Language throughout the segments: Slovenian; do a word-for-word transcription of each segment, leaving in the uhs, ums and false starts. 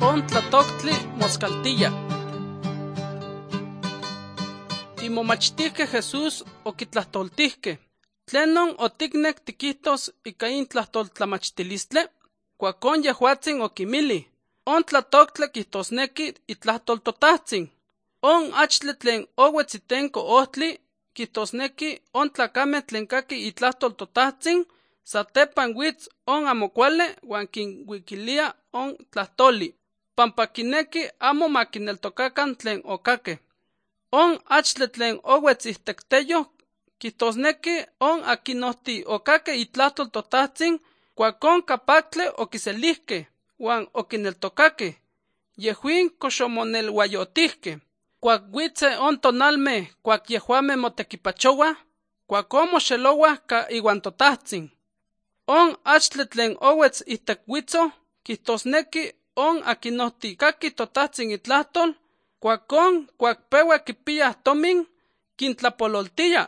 on tlatoctli moscaltilla. Imomachtihque Jesús okitlahtoltihque. Tlenon otiknek tiquihtos ika in tlahtoltlamachtilistle, cuacon yehuatzin okimili. On tlatoctle quihtosneki itlahtoltotahtzin. On achle tlen owetzitenko ohtli, quihtosneki on tlacame tlen kaki itlahtoltotahtzin, satepan witz on amocuale huan kinwikilia on tlahtoli. Pampa kineki amo makineltokakan tlen okake. On achle tlen owetzihtekteyo, quihtosneki on akinohti okake itlahtoltotahtzin, cuacon capactle okiselihke, huan okineltokake. Yehuin coxomonelhuayotihke. Cuac witze on tonalme, cuac yehuame motequipachowa, cuacon moxelowa ca iwan totahtzin. On achle tlen owetz ihtek witzo, quihtosneki on akinohti kaki totahtzin itlahtol, cuacon cuac peua kipiyah tomin, kintlapololtia,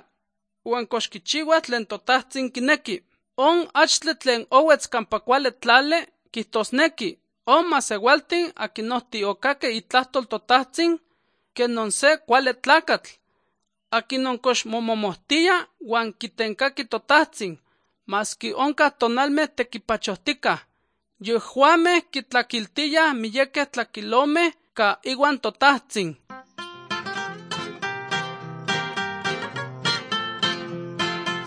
huan coxkichiua tlen totahtzin kineki. On achle tlen owetz campa cuale tlale, quihtosneki on masewaltin akinohti okake itlahtol totahtzin, kenon se cuale tlacatl, akinon cox momomohtia huan kitenkaki totahtzin, maski onca tonalme tequipachohtica. Yehuame kitlakiltiya miyeke tlakilome ka iwan totahtzin.